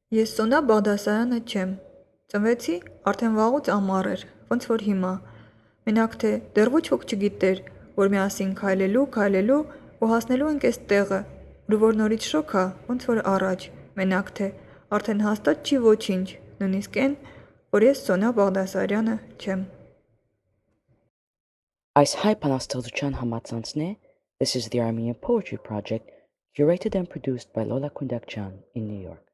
Ես Սոնա Բաղդասարյանը չեմ, ծնվեցի արդեն վաղուց ամառ էր, ոնց որ հիմա, մենակ թե դեռ ոչ ոք չգիտեր, որ միասին քայլելու ու հասնելու ենք էս տեղը, ու որ նորից շոգ ա, ոնց որ առաջ, մենակ թե արդեն հաստատ չի ոչինչ, նույնիսկ էն, որ ես Սոնա Բաղդասարյանը չեմ։ Այս հայ բանաստեղծության համացանցն է This is the Armenian Poetry Project, curated and produced by Lola Kundakjan in New York.